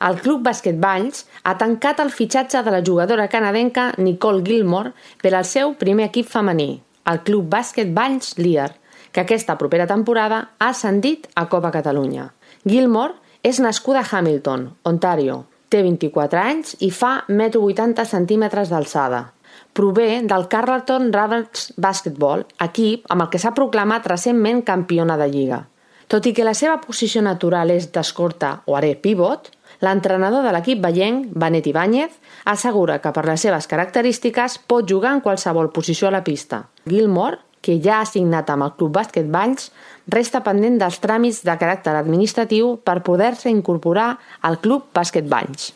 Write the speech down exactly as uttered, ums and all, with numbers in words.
El Club Bàsquet Valls ha tancat el fitxatge de la jugadora canadenca Nicole Gilmore per al seu primer equip femení, el Club Bàsquet Valls Lear, que aquesta propera temporada ha ascendit a Copa Catalunya. Gilmore és nascuda a Hamilton, Ontario, té vint-i-quatre anys i fa un metro vuitanta centímetres d'alçada. Prové del Carleton Ravens Basketball, equip amb el que s'ha proclamat recentment campiona de lliga. Tot i que la seva posició natural és d'escorta o arer pivot, l'entrenador de l'equip vallenc, Benet Ibáñez, assegura que per les seves característiques pot jugar en qualsevol posició a la pista. Gilmore, que ja ha signat amb el Club Bàsquet Valls, resta pendent dels tràmits de caràcter administratiu per poder-se incorporar al Club Bàsquet Valls.